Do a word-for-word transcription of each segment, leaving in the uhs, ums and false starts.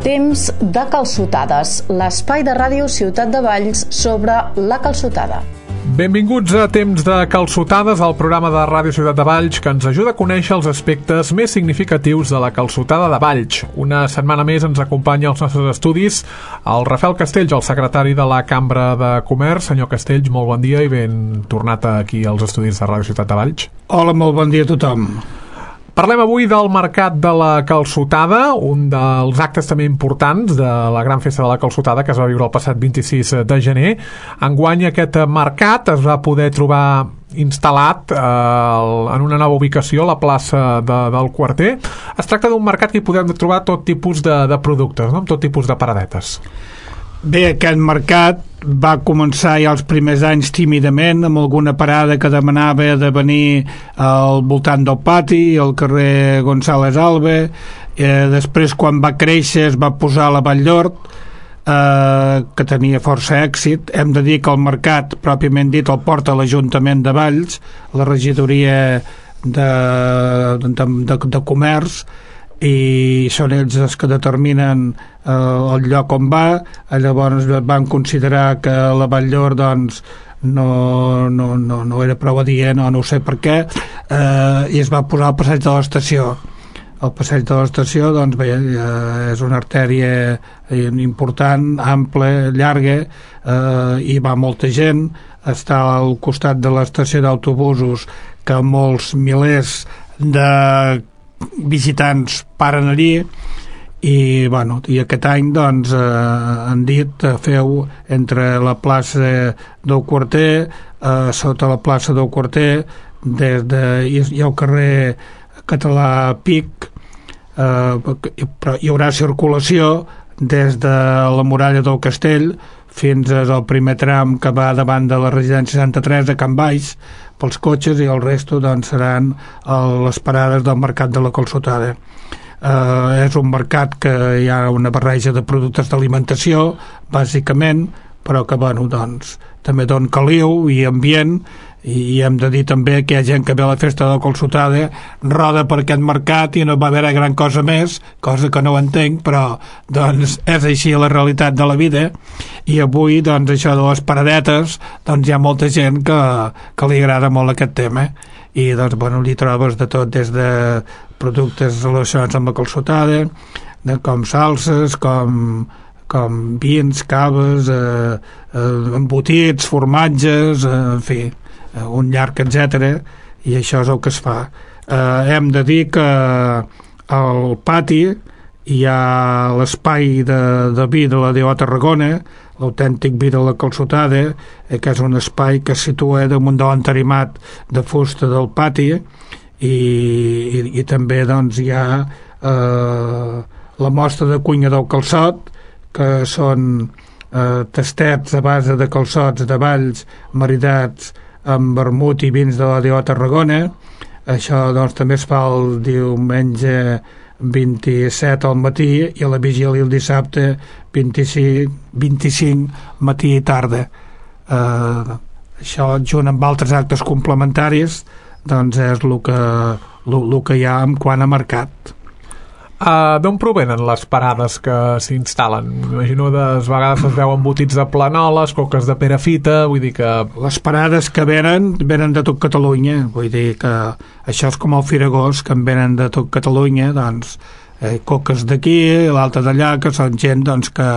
Temps de calçotades, l'espai de ràdio Ciutat de Valls sobre la calçotada. Benvinguts a Temps de calçotades, el programa de Ràdio Ciutat de Valls que ens ajuda a conèixer els aspectes més significatius de la calçotada de Valls. Una setmana més ens acompanya als nostres estudis el Rafael Castells, el secretari de la Cambra de Comerç. Senyor Castells, molt bon dia i ben tornat aquí als estudis de Ràdio Ciutat de Valls. Hola, molt bon dia a tothom. Parlem avui del Mercat de la Calçotada, un dels actes també importants de la gran festa de la calçotada que es va viure el passat vint-i-sis de gener. Enguany aquest mercat es va poder trobar instal·lat eh, en una nova ubicació a la plaça de, del Quarter. Es tracta d'un mercat que hi podem trobar tot tipus de, de productes, no? Amb tot tipus de paradetes. Bé, aquest mercat va començar ja els primers anys tímidament, amb alguna parada que demanava de venir al voltant del pati, al carrer González Albe. Eh, després, quan va créixer, es va posar a la Vall d'Hort, eh, que tenia força èxit. Hem de dir que el mercat, pròpiament dit, el porta l'Ajuntament de Valls, la regidoria de, de, de, de comerç, i són ells els que determinen eh, el lloc on va. Llavors van considerar que la Vall d'Hort doncs, no, no, no, no era prou adient, o no sé per què, eh, i es va posar al passeig de l'estació. El passeig de l'estació doncs, bé, eh, és una artèria important, ampla, llarga, eh, i va molta gent. Està al costat de l'estació d'autobusos, que molts milers de visitants paren allí, i, bueno, i aquest any doncs, eh, han dit eh, feu entre la plaça del Quarter, eh, sota la plaça del Quarter, des de, i, i el carrer Català Pic, eh, però hi haurà circulació des de la muralla del Castell fins al primer tram que va davant de la residència seixanta-tres a Can Baix pels cotxes, i el resto doncs, seran eh, les parades del mercat de la calçotada. Eh, és un mercat que hi ha una barreja de productes d'alimentació, bàsicament, però que bueno, doncs, també dona caliu i ambient, i hem de dir també que hi ha gent que ve a la festa de la calçotada, roda per aquest mercat i no va haver gran cosa més, cosa que no ho entenc, però doncs és així la realitat de la vida. I avui doncs això de les paradetes, doncs hi ha molta gent que, que li agrada molt aquest tema, i doncs bueno, li trobes de tot, des de productes relacionats amb la calçotada, de com salses, com com vins, caves, eh, eh, embotits, formatges, eh, en fi, eh, un llarg etcètera, i això és el que es fa. Eh, hem de dir que al pati hi ha l'espai de, de vi de la D O Tarragona, l'autèntic vi de la calçotada, eh, que és un espai que es situa damunt de l'entarimat de fusta del pati, i, i, i també doncs, hi ha eh, la mostra de cuina del calçot, que són eh, tastets a base de calçots de Valls maridats amb vermut i vins de la D O Tarragona. Això doncs, també es fa el diumenge vint-i-set al matí, i a la vigília el dissabte vint-i-cinc, vint-i-cinc matí i tarda. Eh, això, junt amb altres actes complementaris, doncs és el que, el, el que hi ha en quant a mercat. Uh, d'on provenen les parades que s'instal·len? M'imagino que de vegades es veuen embotits de planoles, coques de perafita, vull dir que... Les parades que venen, venen de tot Catalunya, vull dir que això és com el Firagós, que en venen de tot Catalunya, doncs eh, coques d'aquí, l'altra d'allà, que són gent doncs, que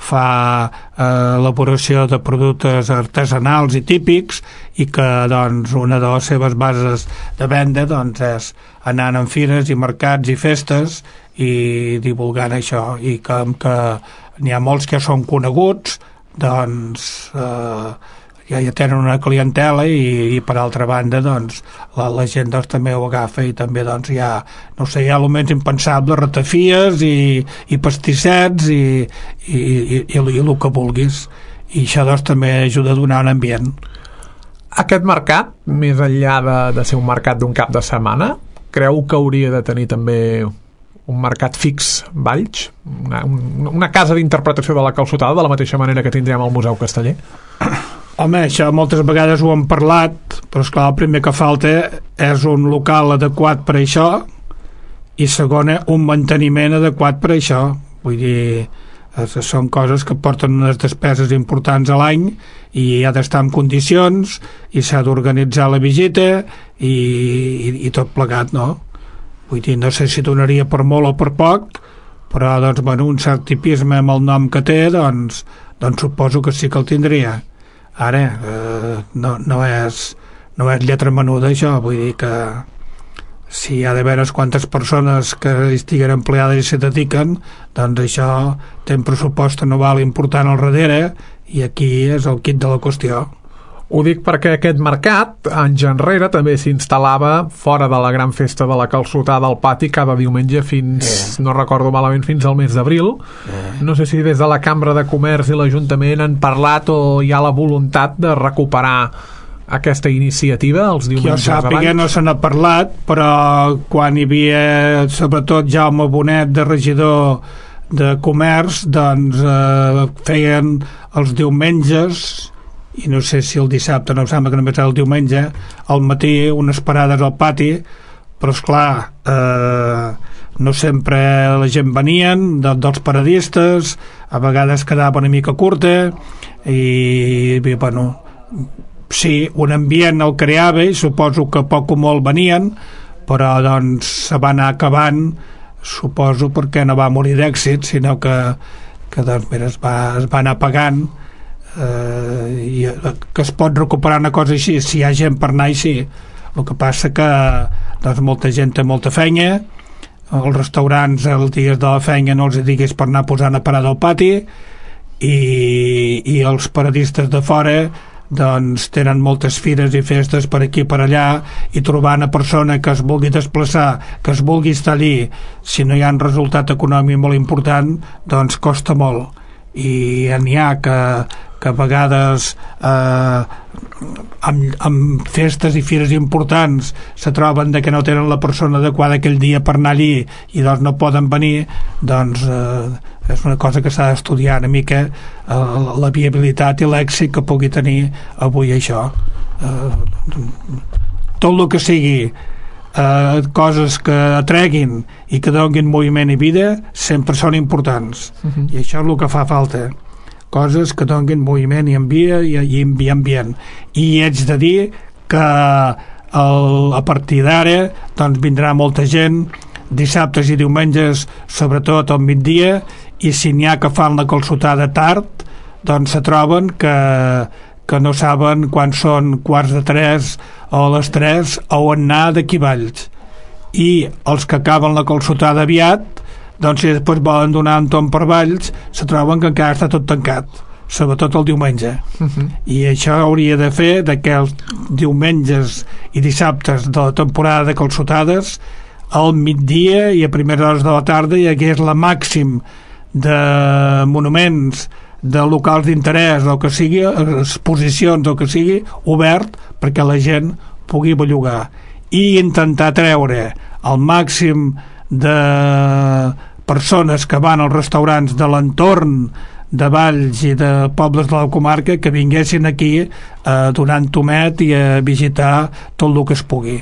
fa eh, elaboració de productes artesanals i típics, i que doncs, una de les seves bases de venda doncs, és anant en fires i mercats i festes i divulgant això, i que, que n'hi ha molts que són coneguts, doncs eh, ja, ja tenen una clientela, i, i per altra banda doncs, la, la gent doncs, també ho agafa, i també doncs, hi ha, no sé, hi ha el menys impensable, ratafies i, i pastissets i, i, i, i, i el que vulguis, i això doncs, també ajuda a donar un ambient. Aquest mercat, més enllà de, de ser un mercat d'un cap de setmana, creu que hauria de tenir també un mercat fix, Valls? Una, una casa d'interpretació de la calçotada, de la mateixa manera que tindrem al Museu Casteller? Home, això moltes vegades ho hem parlat, però esclar, el primer que falta és un local adequat per això, i segona, un manteniment adequat per això. vull dir, són coses que porten unes despeses importants a l'any i ha d'estar en condicions i s'ha d'organitzar la visita i, i, i tot plegat, no? Vull dir, no sé si donaria per molt o per poc, però doncs, bueno, un cert tipisme amb el nom que té, doncs, doncs suposo que sí que el tindria. Ara, eh, no, no, és, no és lletra menuda això, vull dir que si hi ha de veure quantes persones que estiguen empleades i se dediquen, doncs això té un pressupost anual important al darrere i aquí és el quid de la qüestió. Ho dic perquè aquest mercat, anys enrere, també s'instal·lava fora de la gran festa de la calçotada al pati cada diumenge fins, eh. no recordo malament, fins al mes d'abril. Eh. No sé si des de la Cambra de Comerç i l'Ajuntament han parlat o hi ha la voluntat de recuperar aquesta iniciativa els diumenges abans. Jo sàpiga no se n'ha parlat, però quan hi havia sobretot Jaume Bonet de regidor de Comerç, doncs eh, feien els diumenges, i no sé si el dissabte, no em sembla que només era el diumenge, al matí unes parades al pati, però esclar, eh, no sempre la gent venien, de, dels paradistes, a vegades quedava una mica curta, i, i bueno, sí, un ambient el creava i suposo que poc o molt venien, però doncs se va anar acabant, suposo perquè no va morir d'èxit, sinó que, que doncs, mira, es, va, es va anar pagant, eh, i que es pot recuperar una cosa així, si hi ha gent per anar i sí. El que passa que doncs, molta gent té molta feina, els restaurants els dies de la feina no els diguis per anar posant a parar del pati, i, i els paradistes de fora doncs tenen moltes fires i festes per aquí per allà, i trobar una persona que es vulgui desplaçar, que es vulgui estar allí, si no hi ha un resultat econòmic molt important, doncs costa molt. I n'hi ha que, que a vegades eh, amb, amb festes i fires importants se troben de que no tenen la persona adequada aquell dia per anar allí i doncs no poden venir, doncs eh, és una cosa que s'ha d'estudiar una mica, eh, la viabilitat i l'èxit que pugui tenir avui això. Eh, tot el que sigui eh, coses que atreguin i que donin moviment i vida sempre són importants. Uh-huh. I això és el que fa falta. Coses que donin moviment i envia i, i, i ambient. I haig de dir que el, a partir d'ara doncs vindrà molta gent dissabtes i diumenges, sobretot al migdia, i si n'hi ha que fan la calçotada tard, doncs se troben que, que no saben quan són quarts de tres o a les tres o on anar d'aquí Valls. I els que acaben la calçotada aviat, doncs si després volen donar un tomb per Valls, se troben que encara està tot tancat, sobretot el diumenge. Uh-huh. I això hauria de fer de que els diumenges i dissabtes de la temporada de calçotades al migdia i a primeres hores de la tarda hi hagués la màxim de monuments, de locals d'interès o que sigui, exposicions o que sigui, obert perquè la gent pugui bellugar, i intentar treure el màxim de persones que van als restaurants de l'entorn de Valls i de pobles de la comarca que vinguessin aquí a donar un tomet i a visitar tot el que es pugui.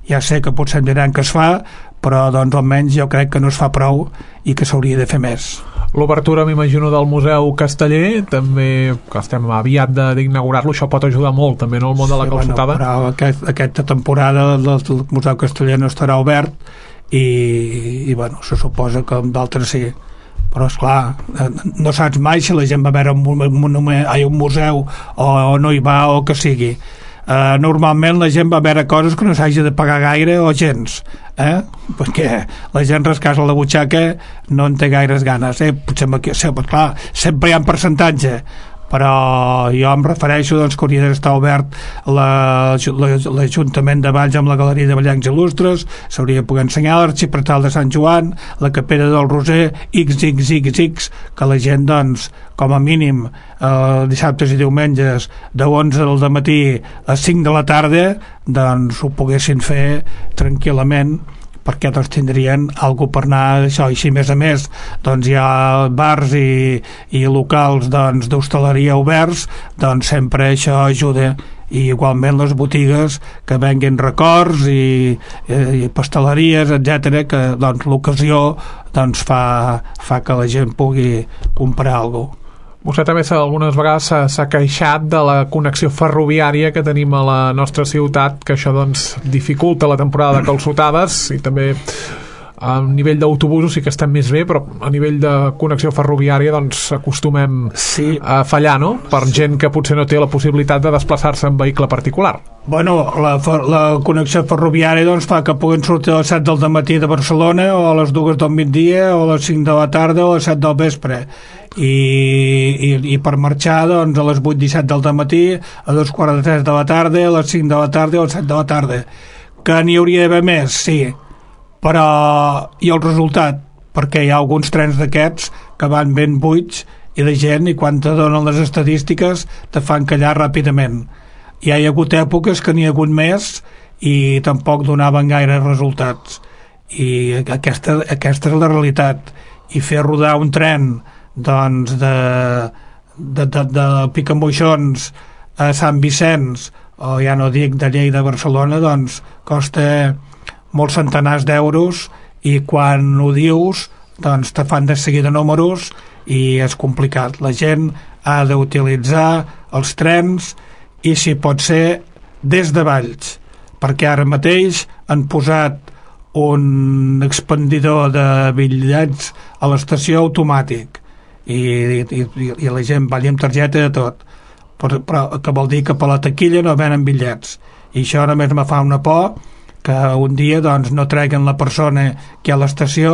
Ja sé que potser em diran que es fa, però doncs almenys jo crec que no es fa prou i que s'hauria de fer més. L'obertura, m'imagino, del Museu Casteller, també, que estem aviat d'inaugurar-lo, això pot ajudar molt també en el món sí, de la calçotada. Bueno, però aquest, aquesta temporada el Museu Casteller no estarà obert i, i bueno, se suposa que amb d'altres sí. Però esclar, no saps mai si la gent va veure un, un, un, un museu o, o no hi va o que sigui. Uh, normalment la gent va veure coses que no s'hagi de pagar gaire o gens, eh? Perquè la gent rascar-se la butxaca no en té gaires ganes, eh? Potser, sempre, clar, sempre hi ha un percentatge, però jo em refereixo doncs, que hauria d'estar obert l'Ajuntament de Valls amb la Galeria de Ballencs Il·lustres, s'hauria de poder ensenyar l'Arxipretal de Sant Joan, la Capella del Roser, ics ics ics ics, que la gent doncs com a mínim eh, dissabtes i diumenges de onze del dematí a cinc de la tarda doncs ho poguessin fer tranquil·lament, perquè doncs tindrien algú per anar això, i si més a més doncs hi ha bars i, i locals doncs d'hostaleria oberts, doncs sempre això ajuda, i igualment les botigues que venguin records i, i pasteleries, etcètera, que doncs l'ocasió doncs fa, fa que la gent pugui comprar alguna cosa. Vostè també algunes vegades s'ha queixat de la connexió ferroviària que tenim a la nostra ciutat, que això doncs dificulta la temporada de calçotades, i també a nivell d'autobusos sí que estem més bé, però a nivell de connexió ferroviària doncs acostumem sí. a fallar, no? Per gent que potser no té la possibilitat de desplaçar-se en vehicle particular. Bueno, la, la connexió ferroviària doncs fa que puguin sortir a les set del matí de Barcelona, o a les dues del migdia, o a les cinc de la tarda, o a les set del vespre, i, i, i per marxar doncs a les vuit i set del matí, a dos quarts de tres de la tarda, a les cinc de la tarda o a les set de la tarda. Que n'hi hauria d'haver més, sí, però i el resultat, perquè hi ha alguns trens d'aquests que van ben buits i la gent, i quan te donen les estadístiques te fan callar ràpidament. Hi ha hagut èpoques que n'hi ha hagut més i tampoc donaven gaire resultats, i aquesta, aquesta és la realitat. I fer rodar un tren doncs de, de, de, de Picamoixons a Sant Vicenç, o ja no dic de Lleida a Barcelona, doncs costa molts centenars d'euros, i quan ho dius doncs te fan de seguida números i és complicat. La gent ha d'utilitzar els trens, i si pot ser des de Valls, perquè ara mateix han posat un expandidor de bitllets a l'estació automàtic, i, i, i la gent va amb targeta de tot, però, però que vol dir que per la taquilla no venen bitllets, i això només me fa una por, que un dia doncs no treguen la persona que hi ha a l'estació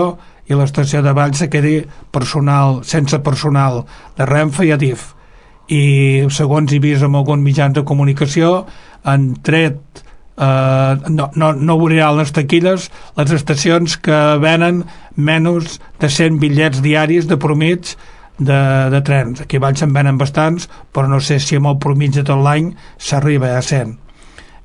i l'estació de Valls se quedi personal, sense personal de Renfe i Adif. I segons he vist en alguns mitjans de comunicació han tret eh, no, no, no obriran les taquilles les estacions que venen menys de cent bitllets diaris de promig de, de trens. Aquí a Valls se'n venen bastants, però no sé si amb el promig de tot l'any s'arriba a cent,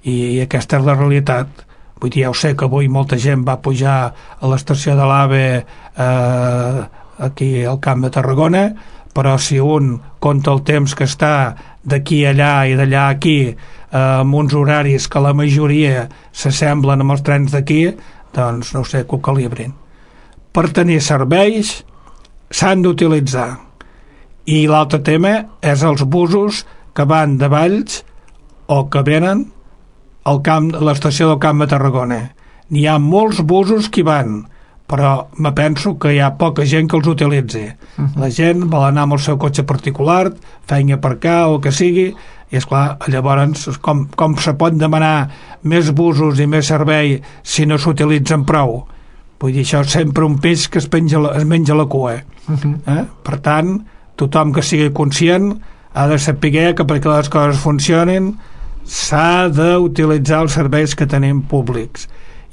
i aquesta és la realitat. Vull dir, ja ho sé que avui molta gent va pujar a l'estació de l'AVE eh, aquí al Camp de Tarragona, però si un compta el temps que està d'aquí allà i d'allà aquí eh, amb uns horaris que la majoria s'assemblen amb els trens d'aquí, doncs no sé, que ho calibrin. Per tenir serveis s'han d'utilitzar. I l'altre tema és els busos que van de Valls o que venen al camp, l'estació del Camp de Tarragona. N'hi ha molts busos que hi van, però me penso que hi ha poca gent que els utilitzi. Uh-huh. La gent vol anar amb el seu cotxe particular, feina per cá o que sigui, i esclar, llavors com, com se pot demanar més busos i més servei si no s'utilitzen prou? Vull dir, això és sempre un peix que es, penja, es menja la cua. Uh-huh. Eh? Per tant, tothom que sigui conscient ha de saber que perquè les coses funcionin s'ha d'utilitzar els serveis que tenim públics,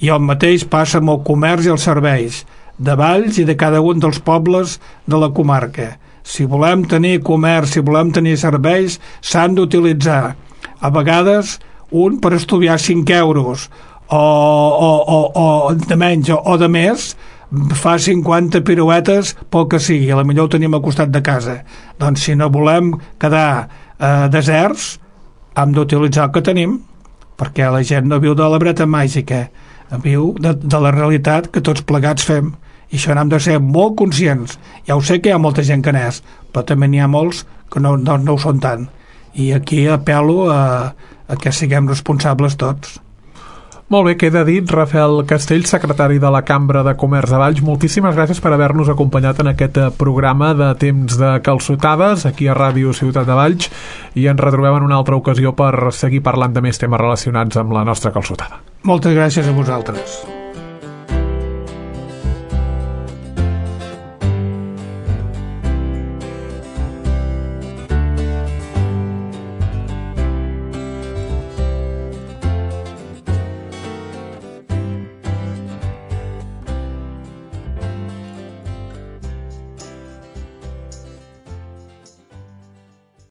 i el mateix passa amb el comerç i els serveis de Valls i de cada un dels pobles de la comarca. Si volem tenir comerç, si volem tenir serveis, s'han d'utilitzar. A vegades un per estudiar cinc euros o, o, o, o de menys o, o de més fa cinquanta piruetes pel que sigui, a la millor ho tenim al costat de casa. Doncs si no volem quedar eh, deserts, hem d'utilitzar el que tenim, perquè la gent no viu de la breta màgica, viu de, de la realitat que tots plegats fem, i això n'hem de ser molt conscients. Ja ho sé que hi ha molta gent que n'és, però també n'hi ha molts que no, no, no ho són tant, i aquí apel·lo a, a que siguem responsables tots. Molt bé, queda dit. Rafael Castells, secretari de la Cambra de Comerç de Valls, moltíssimes gràcies per haver-nos acompanyat en aquest programa de Temps de Calçotades aquí a Ràdio Ciutat de Valls, i ens retrobem en una altra ocasió per seguir parlant de més temes relacionats amb la nostra calçotada. Moltes gràcies a vosaltres.